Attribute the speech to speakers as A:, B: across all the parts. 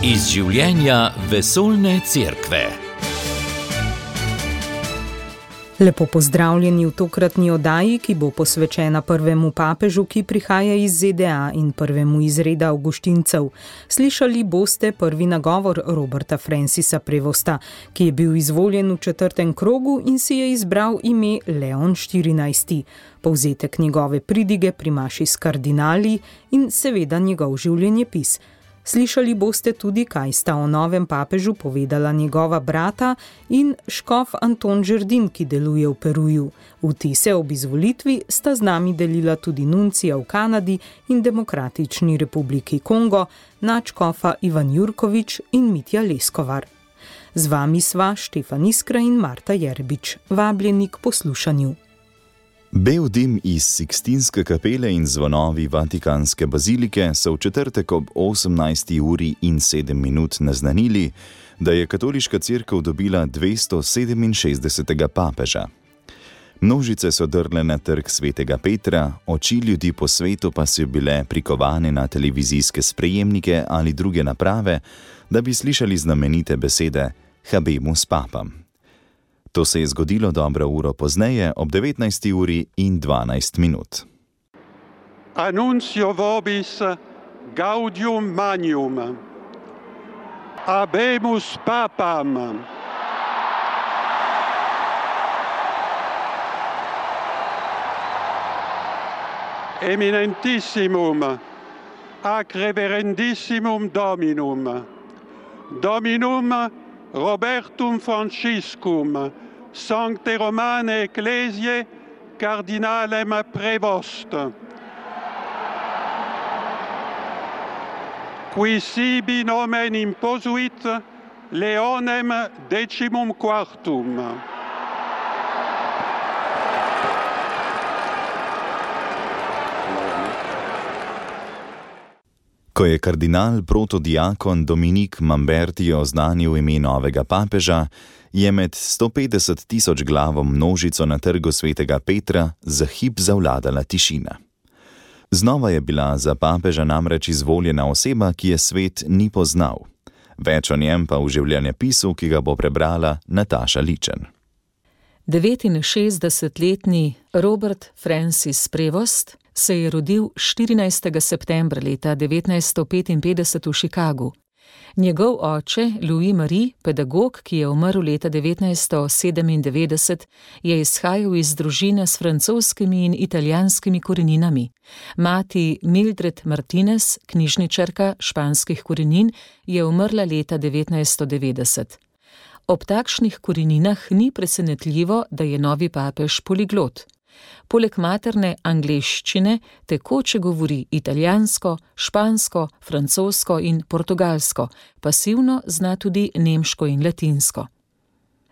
A: Iz življenja vesoljne cerkve.
B: Lepo pozdravljeni v tokratni oddaji, ki bo posvečena prvemu papežu, ki prihaja iz ZDA in prvemu iz reda avguštincev. Slišali boste prvi nagovor Roberta Francisa Prevosta, ki je bil izvoljen v 4. krogu in si je izbral ime Leon XIV. Povzetek njegove pridige pri maši s kardinali in seveda njegov življenjepis. Slišali boste tudi, kaj sta o novem papežu povedala njegova brata in škof Anton Žerdin, ki deluje v Peruju. Vtise ob izvolitvi sta z nami delila tudi nuncija v Kanadi in Demokratični republiki Kongo, nadškofa Ivan Jurkovič in Mitja Leskovar. Z vami sva Štefan Iskra in Marta Jerbič. Vabljeni k poslušanju.
C: Bel dim iz Sikstinske kapele in zvonovi Vatikanske bazilike so v četrtek ob 18:07 naznanili, da je katoliška cerkev dobila 267. papeža. Množice so drle na trg Svetega Petra, oči ljudi po svetu pa so bile prikovane na televizijske sprejemnike ali druge naprave, da bi slišali znamenite besede Habemus Papam. To se je zgodilo dobro uro pozneje, ob 19:12.
D: Annuncio vobis gaudium magnum. Habemus Papam. Eminentissimum, ac reverendissimum Dominum. Dominum Robertum Franciscum, Sancte Romane Ecclesiae, Cardinalem Prevost. Qui sibi nomen imposuit Leonem XIV.
C: Ko je kardinal protodiakon Dominik Mamberti oznanil ime novega papeža, je med 150.000 glavo množico na trgu Svetega Petra za hip zavladala tišina. Znova je bila za papeža namreč izvoljena oseba, ki je svet ni poznal. Več o njem pa v življenjepisu, ki ga bo prebrala Nataša Ličen.
E: 69-letni Robert Francis Prevost se je rodil 14. septembra leta 1955 v Chicagu. Njegov oče, Louis Marie, pedagog, ki je umrl leta 1997, je izhajal iz družine s francoskimi in italijanskimi koreninami. Mati Mildred Martinez, knjižničarka španskih korenin, je umrla leta 1990. Ob takšnih koreninah ni presenetljivo, da je novi papež poliglot. Poleg materne angleščine tekoče govori italijansko, špansko, francosko in portugalsko, pasivno zna tudi nemško in latinsko.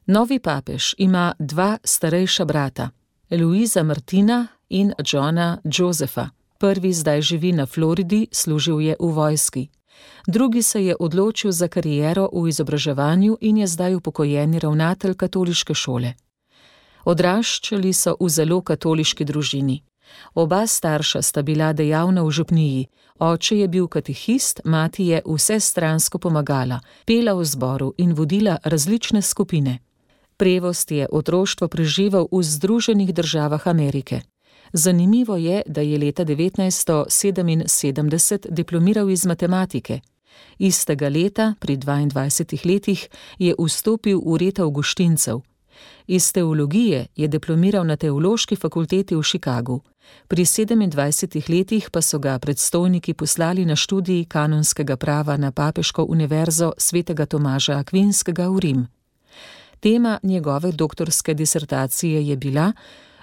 E: Novi papež ima dva starejša brata, Luisa Martina in Johna Josepha. Prvi zdaj živi na Floridi, služil je v vojski. Drugi se je odločil za kariero v izobraževanju in je zdaj upokojeni ravnatelj katoliške šole. Odraščali so v zelo katoliški družini. Oba starša sta bila dejavna v župniji, oče je bil katehist, mati je vsestransko pomagala, pela v zboru in vodila različne skupine. Prevost je otroštvo preživel v Združenih državah Amerike. Zanimivo je, da je leta 1977 diplomiral iz matematike. Istega leta, pri 22 letih, je vstopil v red avguštincev. Iz teologije je diplomiral na Teološki fakulteti v Chicagu. Pri 27 letih pa so ga predstojniki poslali na študij kanonskega prava na Papeško univerzo svetega Tomaža Akvinskega v Rim. Tema njegove doktorske disertacije je bila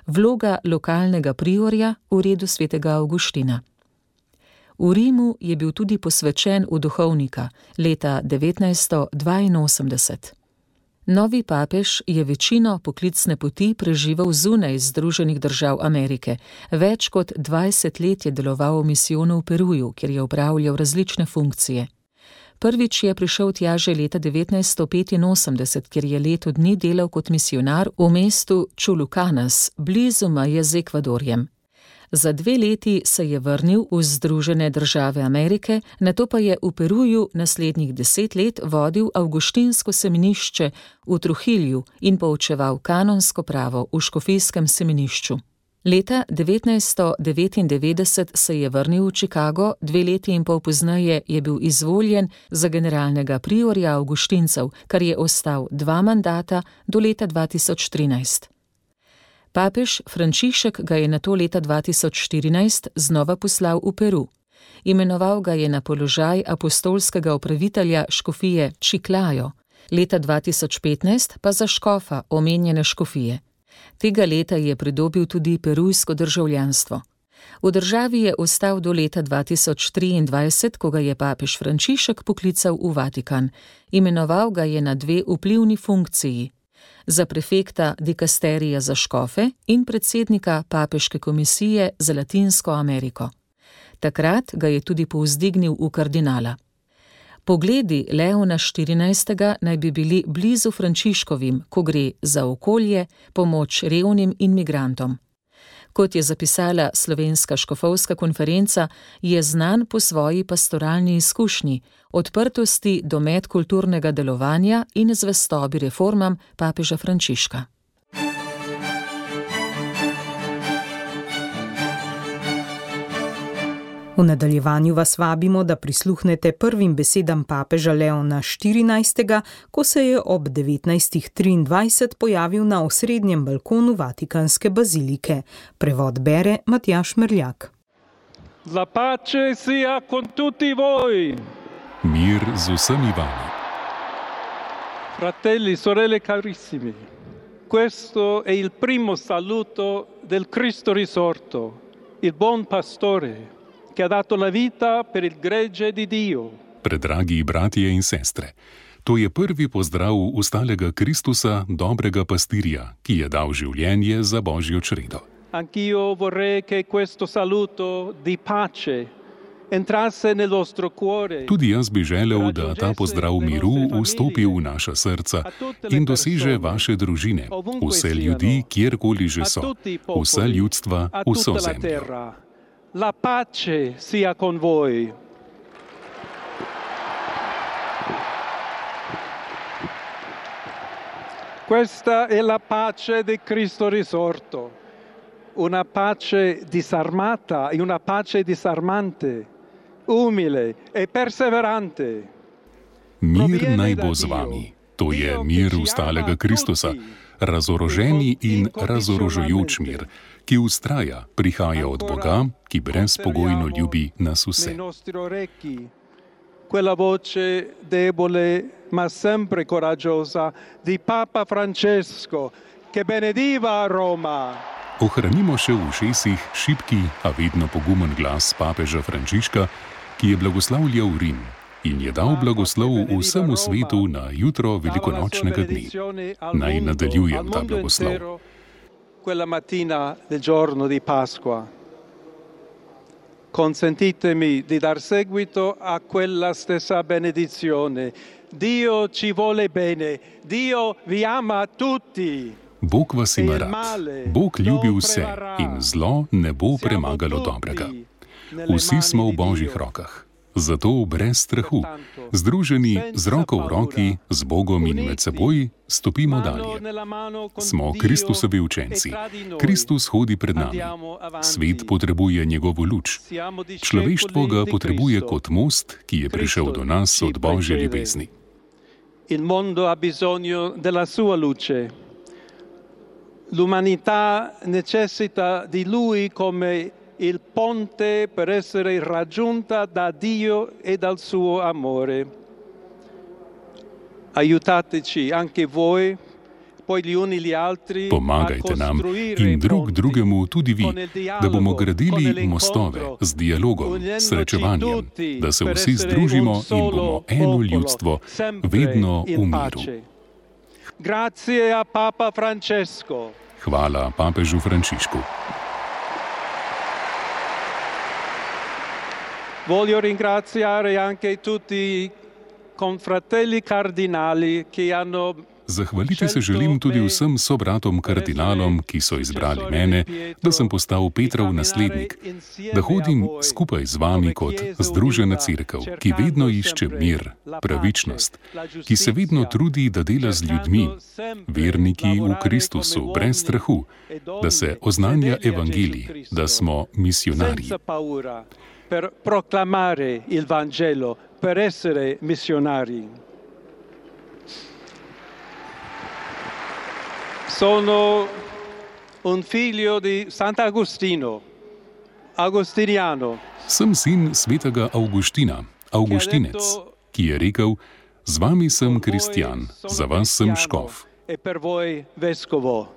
E: vloga lokalnega priorja v redu svetega Avguština. V Rimu je bil tudi posvečen v duhovnika leta 1982. Novi papež je večino poklicne poti preživel zunaj Združenih držav Amerike. Več kot 20 let je deloval v misijonu v Peruju, kjer je opravljal različne funkcije. Prvič je prišel tja že leta 1985, kjer je leto dni delal kot misionar v mestu Chulucanas, blizu meje z Ekvadorjem. Za 2 leti se je vrnil v Združene države Amerike, nato pa je v Peruju naslednjih 10 let vodil avguštinsko semenišče v Trujillu in poučeval kanonsko pravo v škofijskem semenišču. Leta 1999 se je vrnil v Chicago, 2 leti in pol pozneje je bil izvoljen za generalnega priorja avguštincev, kar je ostal 2 mandata do leta 2013. Papež Frančišek ga je nato leta 2014 znova poslal v Peru. Imenoval ga je na položaj apostolskega upravitelja škofije Chiclayo, leta 2015 pa za škofa omenjene škofije. Tega leta je pridobil tudi perujsko državljanstvo. V državi je ostal do leta 2023, ko ga je papež Frančišek poklical v Vatikan. Imenoval ga je na 2 vplivni funkciji, za prefekta dikasterija za škofe in predsednika papeške komisije za Latinsko Ameriko. Takrat ga je tudi povzdignil v kardinala. Pogledi Leona XIV. Naj bi bili blizu Frančiškovim, ko gre za okolje, pomoč revnim in migrantom. Kot je zapisala Slovenska škofovska konferenca, je znan po svoji pastoralni izkušnji, odprtosti do medkulturnega delovanja in zvestobi reformam papeža Frančiška.
B: V nadaljevanju vas vabimo, da prisluhnete prvim besedam papeža Leona XIV., ko se je ob 19:23 pojavil na osrednjem balkonu Vatikanske bazilike. Prevod bere Matjaž Merljak.
D: La pace sia con tutti voi.
F: Mir z vsemi vami.
D: Fratelli, sorelle carissimi, questo è il primo saluto del Cristo risorto, il buon pastore, che ha dato la vita per il gregge di Dio.
F: Predragi bratje in sestre, to je prvi pozdrav ustalega Kristusa, dobrega pastirja, ki je dal življenje za Božjo čredo.
D: Anch'io vorrei che questo saluto di pace entrasse nel vostro cuore.
F: Tudi jaz bi želel, da ta pozdrav miru vstopi v naša srca in doseže vaše družine, vse ljudi, kjerkoli že so, vse ljudstva, vso zemljo.
D: La pace sia con voi. Questa è la pace di Cristo risorto, una pace disarmata e una pace disarmante, umile e perseverante.
F: Mir naj bo z vami, to je mir ustalega Kristusa, razoroženi in razorožujoč mir, ki vztraja, prihaja od Boga, ki brezpogojno ljubi nas vse.
D: Quella voce debole ma sempre coraggiosa di Papa Francesco che benediva Roma.
F: Ohranimo še v ušesih šibki, a vedno pogumen glas papeža Frančiška, ki je blagoslavljal Rim in je dal blagoslov vsemu svetu na jutro velikonočnega dne. Naj nadaljujem ta blagoslov.
D: Quella mattina del giorno di Pasqua. Consentitemi di dar seguito a quella stessa benedizione. Dio ci vuole bene, Dio vi ama tutti.
F: Bog vas ima rad, Bog ljubi vse in zlo ne bo premagalo dobrega. Vsi smo v Božjih rokah, zato brez strahu, združeni z roko v roki, z Bogom in med seboj, stopimo dalje. Smo Kristusovi učenci, Kristus hodi pred nami, svet potrebuje njegovo luč, človeštvo ga potrebuje kot most, ki je prišel do nas od Božje ljubezni.
D: Il mondo ha bisogno della sua luce. L'umanità necessita di lui come il ponte per essere raggiunta da Dio e dal suo amore. Aiutateci anche voi, poi gli uni gli altri,
F: pomagajte nam in drug drugemu tudi vi, da bomo gradili mostove z dialogom, srečevanjem, da se vsi združimo in bomo eno ljudstvo, vedno v miru.
D: Grazie a Papa Francesco.
F: Hvala papežu Frančišku.
D: Voglio ringraziare anche tutti i confratelli cardinali che hanno
F: Zahvaliti se želim tudi vsem sobratom kardinalom, ki so izbrali mene, da sem postal Petrov naslednik, da hodim skupaj z vami kot združena cerkev, ki vedno išče mir, pravičnost, ki se vedno trudi, da dela z ljudmi, verniki v Kristusu, brez strahu, da se oznanja evangelij, da smo misionarji.
D: Per proclamare il Vangelo, per essere missionari. Sono un figlio di Sant'Agostino, agostiniano.
F: Sem sin svetega Avguština, Avguštinec, ki je rekel: z vami sem kristjan, za vas sem škof.
D: E per voi vescovo.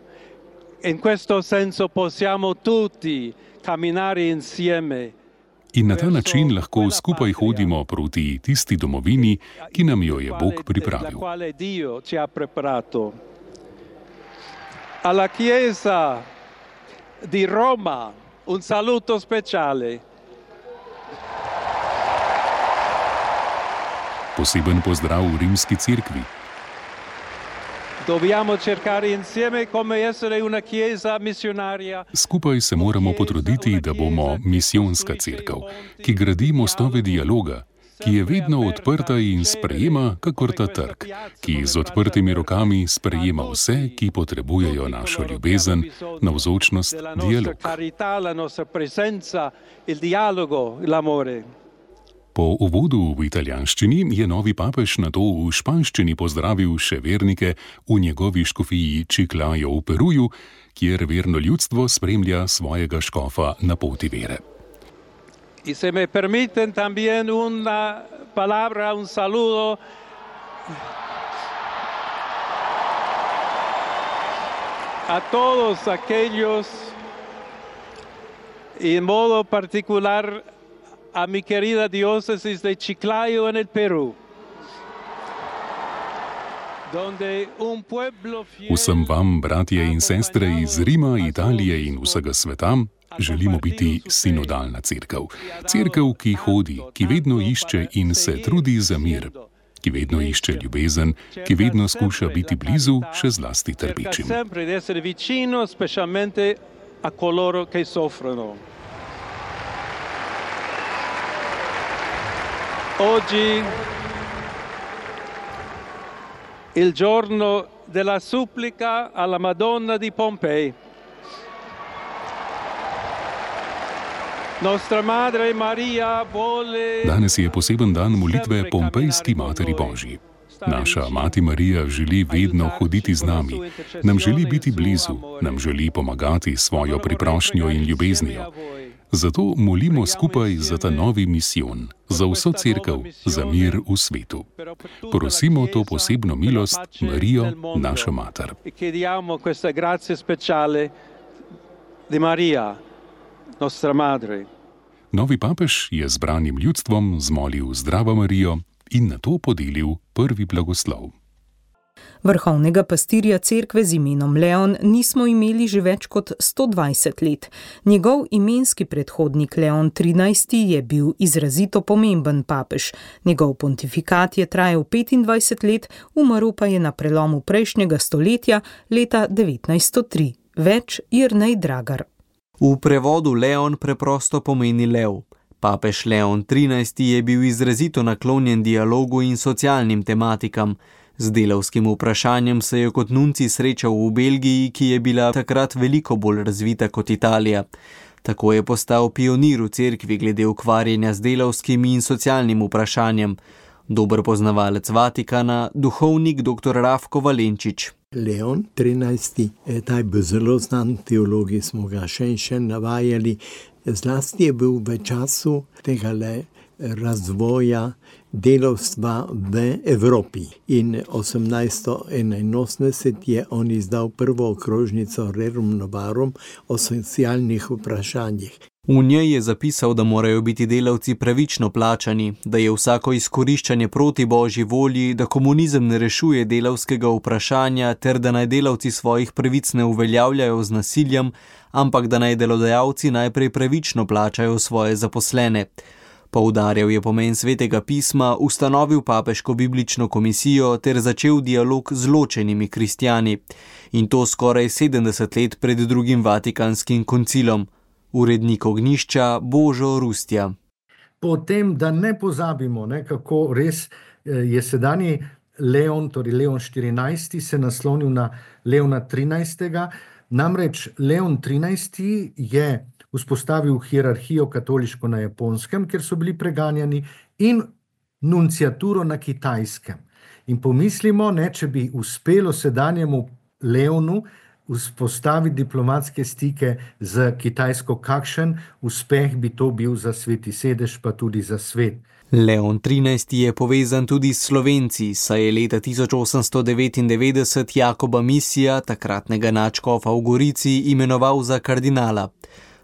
D: In questo senso possiamo tutti camminare insieme.
F: In na ta način lahko skupaj hodimo proti tisti domovini, ki nam jo je Bog pripravil.
D: Alla Chiesa di Roma un saluto speciale.
F: Poseben pozdrav v Rimski cerkvi.
D: Dobbiamo cercare insieme come essere una chiesa missionaria.
F: Skupaj se moramo potruditi, da bomo misijonska cerkev, ki gradi mostove dialoga, ki je vedno odprta in sprejema kakor ta trg, ki z odprtimi rokami sprejema vse, ki potrebujejo našo ljubezen, navzočnost, dialog. Po uvodu v italijanščini je novi papež nato v španščini pozdravil še vernike v njegovi škofiji Chiclayo v Peruju, kjer verno ljudstvo spremlja svojega škofa na poti vere.
D: Y se me permiten también una palabra, un saludo a todos aquellos y en modo particular a mi querida diócesis de Chiclayo en el Perú.
F: Vsem vam, bratje in sestre iz Rima, Italije in vsega sveta, želimo biti sinodalna cerkev. Cerkev, ki hodi, ki vedno išče in se trudi za mir, ki vedno išče ljubezen, ki vedno skuša biti blizu, še zlasti trpečim.
D: Oggi il giorno della supplica alla Madonna di Pompei.
F: Danes je poseben dan molitve Pompejski Materi Božji. Naša Mati Marija želi vedno hoditi z nami, nam želi biti blizu, nam želi pomagati s svojo priprošnjo in ljubeznijo. Zato molimo skupaj za ta novi misijon, za vso cerkev, za mir v svetu. Prosimo to posebno milost Marijo, našo mater. Novi papež je zbranim ljudstvom zmolil Zdravo Marijo in nato podelil prvi blagoslov.
B: Vrhovnega pastirja cerkve z imenom Leon nismo imeli že več kot 120 let. Njegov imenski predhodnik Leon XIII je bil izrazito pomemben papež. Njegov pontifikat je trajal 25 let, umrl pa je na prelomu prejšnjega stoletja leta 1903. Več Jernej Dragar.
G: V prevodu Leon preprosto pomeni lev. Papež Leon XIII je bil izrazito naklonjen dialogu in socialnim tematikam. Z delavskim vprašanjem se je kot nuncij srečal v Belgiji, ki je bila takrat veliko bolj razvita kot Italija. Tako je postal pionir v cerkvi glede ukvarjanja z delavskim in socialnim vprašanjem. Dober poznavalec Vatikana, duhovnik dr. Rafko Valenčič.
H: Leon XIII, taj bil zelo znan, teologi smo ga še in še navajali. Zlasti je bil v času tega razvoja delavstva v Evropi. In 1881 je on izdal prvo okrožnico Rerum Novarum o socialnih vprašanjih.
G: V njej je zapisal, da morajo biti delavci pravično plačani, da je vsako izkoriščanje proti Božji volji, da komunizem ne rešuje delavskega vprašanja ter da naj delavci svojih pravic ne uveljavljajo z nasiljem, ampak da naj delodajalci najprej pravično plačajo svoje zaposlene. Poudarjal je pomen svetega pisma, ustanovil papeško biblično komisijo ter začel dialog z ločenimi kristjani. In to skoraj 70 let pred drugim Vatikanskim koncilom. Urednik Ognjišča Božo Rustja.
I: Potem, da ne pozabimo, kako res je sedanji Leon, torej Leon 14. se naslonil na Leona 13. Namreč Leon 13. je vzpostavil hierarhijo katoliško na Japonskem, kjer so bili preganjani, in nunciaturo na Kitajskem. In pomislimo, če bi uspelo sedanjemu Leonu vzpostaviti diplomatske stike z Kitajsko, kakšen uspeh bi to bil za Sveti sedež, pa tudi za svet.
G: Leon 13. je povezan tudi s Slovenci, saj je leta 1899 Jakoba Misija, takratnega nadškofa v Gorici, imenoval za kardinala.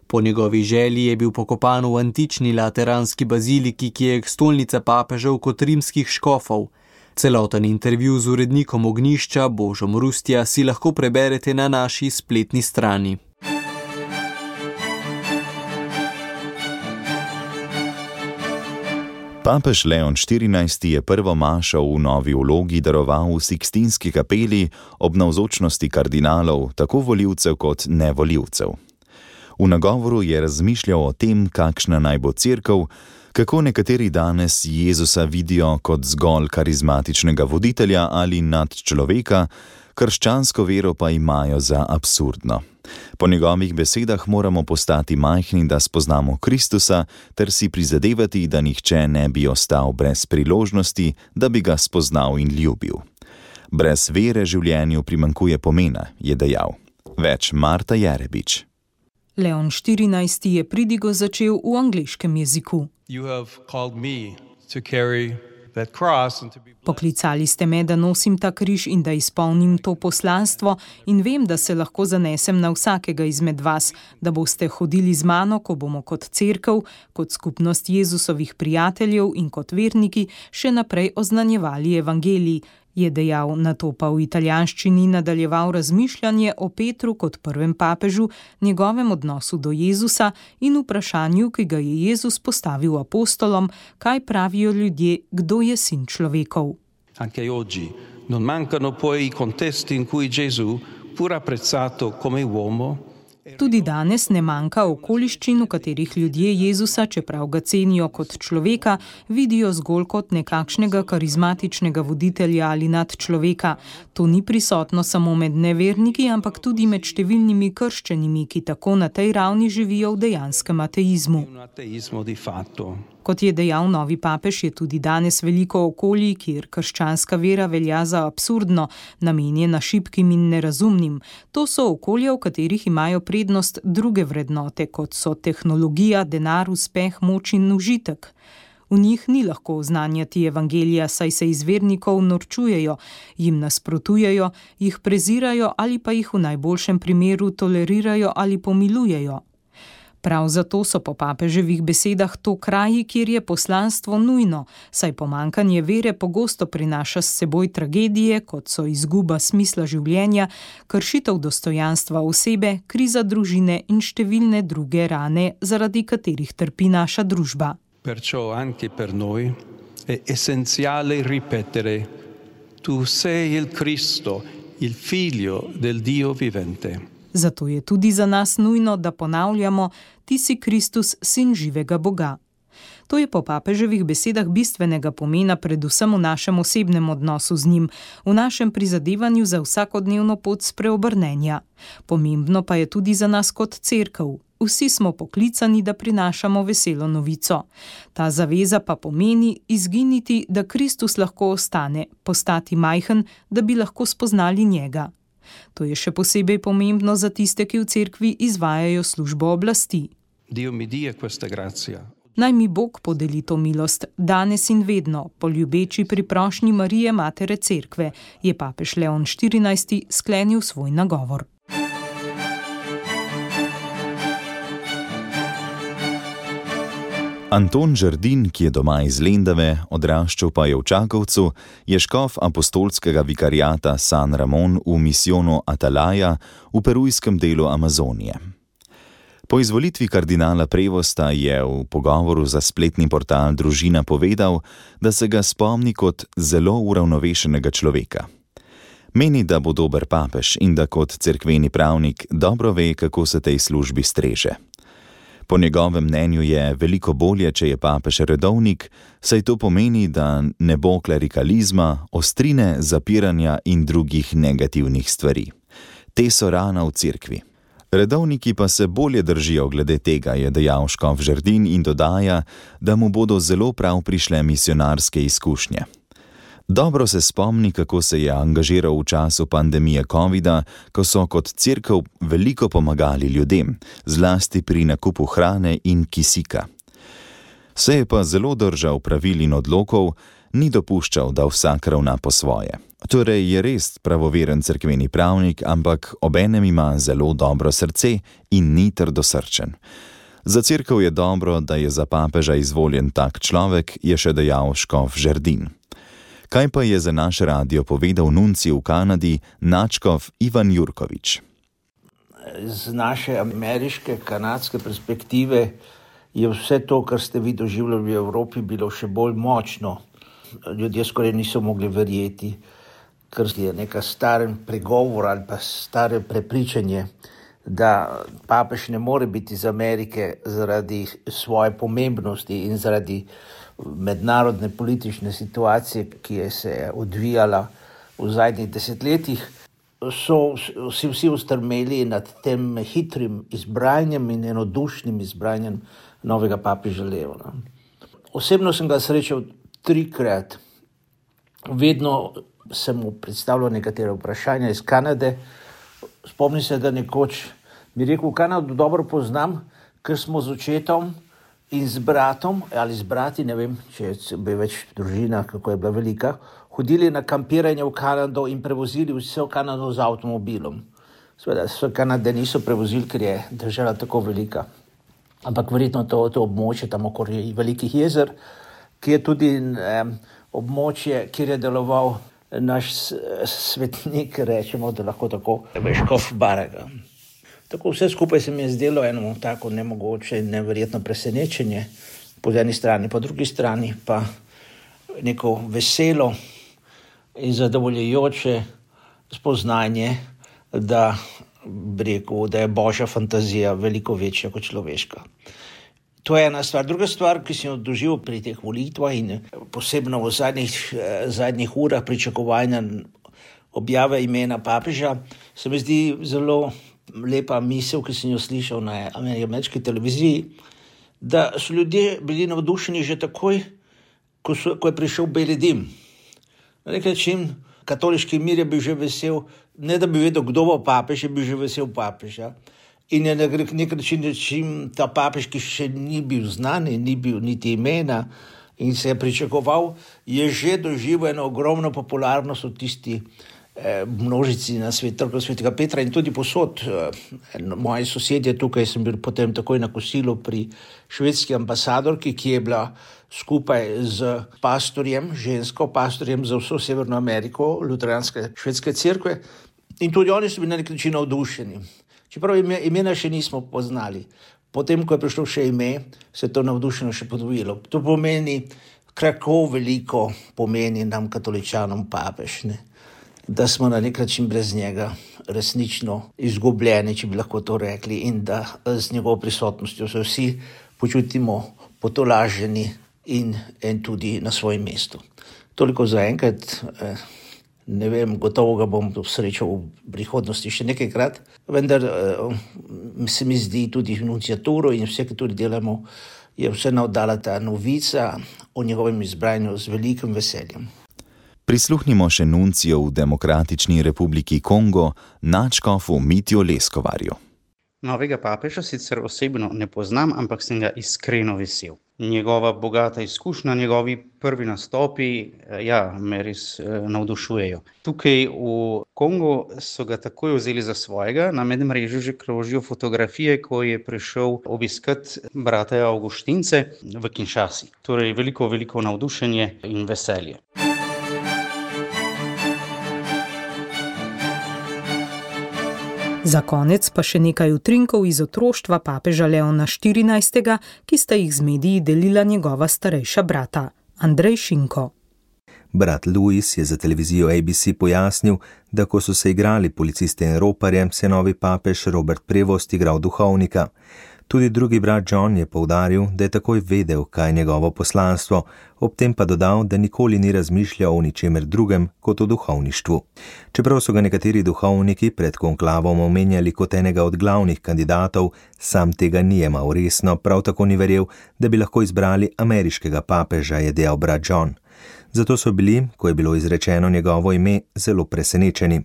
G: Po njegovi želji je bil pokopan v antični lateranski baziliki, ki je stolnica papežev kot rimskih škofov. Celoten intervju z urednikom Ognjišča Božom Rustja si lahko preberete na naši spletni strani.
C: Papež Leon XIV. Je prvo mašo v novi vlogi daroval v Sikstinski kapeli ob navzočnosti kardinalov, tako volivcev kot nevolivcev. V nagovoru je razmišljal o tem, kakšna naj bo cerkev, kako nekateri danes Jezusa vidijo kot zgolj karizmatičnega voditelja ali nadčloveka, krščansko vero pa imajo za absurdno. Po njegovih besedah moramo postati majhni, da spoznamo Kristusa, ter si prizadevati, da nihče ne bi ostal brez priložnosti, da bi ga spoznal in ljubil. Brez vere življenju primanjkuje pomena, je dejal. Več Marta Jerebič.
B: Leon XIV. Je pridigo začel v angleškem jeziku. Poklicali ste me, da nosim ta križ in da izpolnim to poslanstvo, in vem, da se lahko zanesem na vsakega izmed vas, da boste hodili z mano, ko bomo kot cerkev, kot skupnost Jezusovih prijateljev in kot verniki še naprej oznanjevali evangelij, je dejal, nato pa v italijanščini nadaljeval razmišljanje o Petru kot prvem papežu, njegovem odnosu do Jezusa in vprašanju, ki ga je Jezus postavil apostolom, kaj pravijo ljudje, kdo je sin človekov.
J: Anche oggi non mancano poi i contesti in cui Gesù, pur apprezzato come uomo,
B: Tudi danes ne manjka okoliščin, v katerih ljudje Jezusa, čeprav ga cenijo kot človeka, vidijo zgolj kot nekakšnega karizmatičnega voditelja ali nadčloveka. To ni prisotno samo med neverniki, ampak tudi med številnimi krščenimi, ki tako na tej ravni živijo v dejanskem ateizmu. Kot je dejal novi papež, je tudi danes veliko okolij, kjer krščanska vera velja za absurdno, namenjena šibkim in nerazumnim. To so okolja, v katerih imajo prednost druge vrednote, kot so tehnologija, denar, uspeh, moč in užitek. V njih ni lahko oznanjati evangelija, saj se iz vernikov norčujejo, jim nasprotujejo, jih prezirajo ali pa jih v najboljšem primeru tolerirajo ali pomilujejo. Prav zato so po papeževih besedah to kraji, kjer je poslanstvo nujno, saj pomanjkanje vere pogosto prinaša s seboj tragedije, kot so izguba smisla življenja, kršitev dostojanstva osebe, kriza družine in številne druge rane, zaradi katerih trpi naša družba.
J: Perciò anche per noi è essenziale ripetere: Tu sei il Cristo, il Figlio del Dio vivente.
B: Zato je tudi za nas nujno, da ponavljamo: Ti si Kristus, sin živega Boga. To je po papeževih besedah bistvenega pomena predvsem v našem osebnem odnosu z njim, v našem prizadevanju za vsakodnevno pot spreobrnenja. Pomembno pa je tudi za nas kot cerkev. Vsi smo poklicani, da prinašamo veselo novico. Ta zaveza pa pomeni izginiti, da Kristus lahko ostane, postati majhen, da bi lahko spoznali njega. To je še posebej pomembno za tiste, ki v cerkvi izvajajo službo oblasti. Naj mi Bog podeli to milost, danes in vedno, po ljubeči priprošnji Marije, matere cerkve, je papež Leon XIV. Sklenil svoj nagovor.
C: Anton Žerdin, ki je doma iz Lendave, odraščal pa je v Čakovcu, je škof apostolskega vikariata San Ramon v misijonu Atalaja v perujskem delu Amazonije. Po izvolitvi kardinala Prevosta je v pogovoru za spletni portal Družina povedal, da se ga spomni kot zelo uravnovešenega človeka. Meni, da bo dober papež in da kot cerkveni pravnik dobro ve, kako se tej službi streže. Po njegovem mnenju je veliko bolje, če je papež redovnik, saj to pomeni, da ne bo klerikalizma, ostrine, zapiranja in drugih negativnih stvari. Te so rana v cerkvi. Redovniki pa se bolje držijo glede tega, je dejal škof Žerdin in dodaja, da mu bodo zelo prav prišle misionarske izkušnje. Dobro se spomni, kako se je angažiral v času pandemije covida, ko so kot cerkev veliko pomagali ljudem, zlasti pri nakupu hrane in kisika. Se je pa zelo držal pravil in odlokov, ni dopuščal, da vsak ravna po svoje. Torej je res pravoveren cerkveni pravnik, ampak obenem ima zelo dobro srce in ni trdosrčen. Za cerkev je dobro, da je za papeža izvoljen tak človek, je še dejal škof Žerdin. Kaj pa je za naš radio povedal nuncij v Kanadi nadškof Ivan Jurkovič?
K: Z naše ameriške, kanadske perspektive je vse to, kar ste vi doživljali v Evropi, bilo še bolj močno. Ljudje skoraj niso mogli verjeti, ker je neka staren pregovor ali pa stare prepričanje, da papež ne more biti iz Amerike zaradi svoje pomembnosti in zaradi mednarodne politične situacije, ki je se odvijala v zadnjih desetletjih, so vsi ustrmeli nad tem hitrim izbranjem in enodušnim izbranjem novega papeža Leona. Osebno sem ga srečal 3-krat. Vedno sem mu predstavljal nekatere vprašanja iz Kanade. Spomnim se, da nekoč mi rekel, Kanado dobro poznam, ker smo z očetom in z bratom, ali z brati, ne vem, če bi več družina, kako je bila velika, hodili na kampiranje v Kanado in prevozili vse v Kanado z avtomobilom. Seveda, vse Kanade niso prevozili, ker je država tako velika. Ampak verjetno to območje tam okoli velikih jezer, ki je tudi območje, kjer je deloval naš svetnik, rečemo, da lahko tako, škof Baraga. Tako vse skupaj se mi je zdelo eno tako nemogoče in neverjetno presenečenje po eni strani, po drugi strani pa neko veselo in zadovoljujoče spoznanje, da je božja fantazija veliko večja kot človeška. To je ena stvar. Druga stvar, ki sem jo doživel pri teh volitvah in posebno v zadnjih urah pričakovanja objave imena papeža, se mi zdi zelo lepa misel, ki sem jo slišal na ameriški televiziji, da so ljudje bili navdušeni že takoj, ko je prišel beli dim. Na nek način katoliški mir je bil že vesel, ne da bi vedel, kdo bo papež, je bil že vesel papeža. In je na nek način ta papež, ki še ni bil znan, ni bil niti imena in se je pričakoval, je že doživel eno ogromno popularnost v tisti množici na trgu svetega Petra in tudi posod. Moji sosedje tukaj, sem bil potem takoj na kosilu pri švedski ambasadorki, ki je bila skupaj z pastorjem, žensko pastorjem za vso Severno Ameriko, luteranske švedske cerkve, in tudi oni so bili na nek način navdušeni. Čeprav imena še nismo poznali. Potem, ko je prišlo še ime, se je to navdušeno še podvojilo. To pomeni, kako veliko pomeni nam katoličanom papež, ne? Da smo na nek način brez njega resnično izgubljeni, če bi lahko to rekli, in da z njegovo prisotnostjo se vsi počutimo potolaženi in tudi na svojem mestu. Toliko za enkrat. Ne vem, gotovo ga bom srečal v prihodnosti še nekajkrat, vendar se mi zdi tudi nunciaturo in vse, ki tudi delamo, je vse navdala ta novica o njegovem izbranju z velikim veseljem.
C: Prisluhnimo še nuncijo v Demokratični republiki Kongo, nadškofu Mitju Leskovarju.
L: Novega papeža sicer osebno ne poznam, ampak sem ga iskreno vesel. Njegova bogata izkušnja, njegovi prvi nastopi, me res navdušujejo. Tukaj v Kongu so ga takoj vzeli za svojega, na medmrežju že krožijo fotografije, ko je prišel obiskat brata Avguštince v Kinshasi. Torej veliko navdušenje in veselje.
B: Za konec pa še nekaj utrinkov iz otroštva papeža Leona XIV, ki sta jih z mediji delila njegova starejša brata, Andrej Šinko.
M: Brat Louis je za televizijo ABC pojasnil, da ko so se igrali policiste in roparje, se novi papež Robert Prevost igral duhovnika. Tudi drugi brat John je poudaril, da je takoj vedel, kaj je njegovo poslanstvo, ob tem pa dodal, da nikoli ni razmišljal o ničemer drugem kot o duhovništvu. Čeprav so ga nekateri duhovniki pred konklavom omenjali kot enega od glavnih kandidatov, sam tega ni jemal resno, prav tako ni verjel, da bi lahko izbrali ameriškega papeža, je dejal brat John. Zato so bili, ko je bilo izrečeno njegovo ime, zelo presenečeni.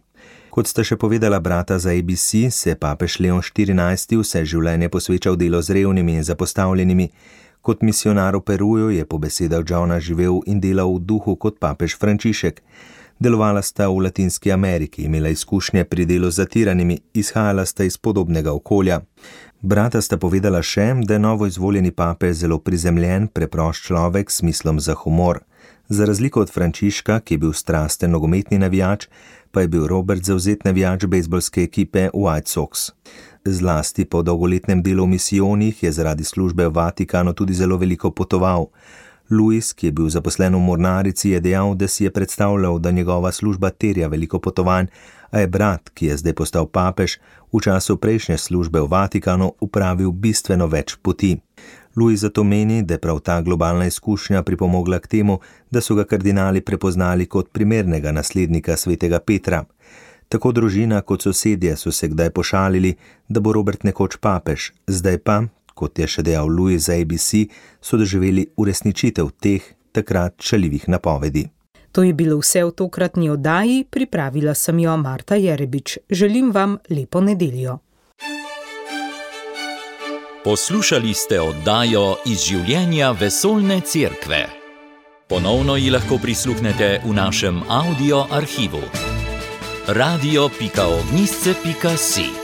M: Kot sta še povedala brata za ABC, se papež Leon XIV vse življenje posvečal delu z revnimi in zapostavljenimi. Kot misionar v Peruju je po besedah Johna živel in delal v duhu kot papež Frančišek. Delovala sta v Latinski Ameriki, imela izkušnje pri delu z zatiranimi, izhajala sta iz podobnega okolja. Brata sta povedala še, da je novo izvoljeni papež zelo prizemljen, preprost človek s smislom za humor. Za razliko od Frančiška, ki je bil strasten nogometni navijač, pa je bil Robert zavzet navijač bejzbolske ekipe White Sox. Zlasti po dolgoletnem delu v misijonih je zaradi službe v Vatikanu tudi zelo veliko potoval. Louis, ki je bil zaposlen v mornarici, je dejal, da si je predstavljal, da njegova služba terja veliko potovanj, a je brat, ki je zdaj postal papež, v času prejšnje službe v Vatikanu upravil bistveno več poti. Louis zato meni, da je prav ta globalna izkušnja pripomogla k temu, da so ga kardinali prepoznali kot primernega naslednika svetega Petra. Tako družina kot sosedje so se kdaj pošalili, da bo Robert nekoč papež, zdaj pa, kot je še dejal Louis za ABC, so doživeli uresničitev teh takrat šaljivih napovedi.
B: To je bilo vse v tokratni oddaji, pripravila sem jo Marta Jerebič. Želim vam lepo nedeljo.
A: Poslušali ste oddajo Iz življenja vesoljne cerkve. Ponovno ji lahko prisluhnete v našem audio arhivu. radio.ognisce.si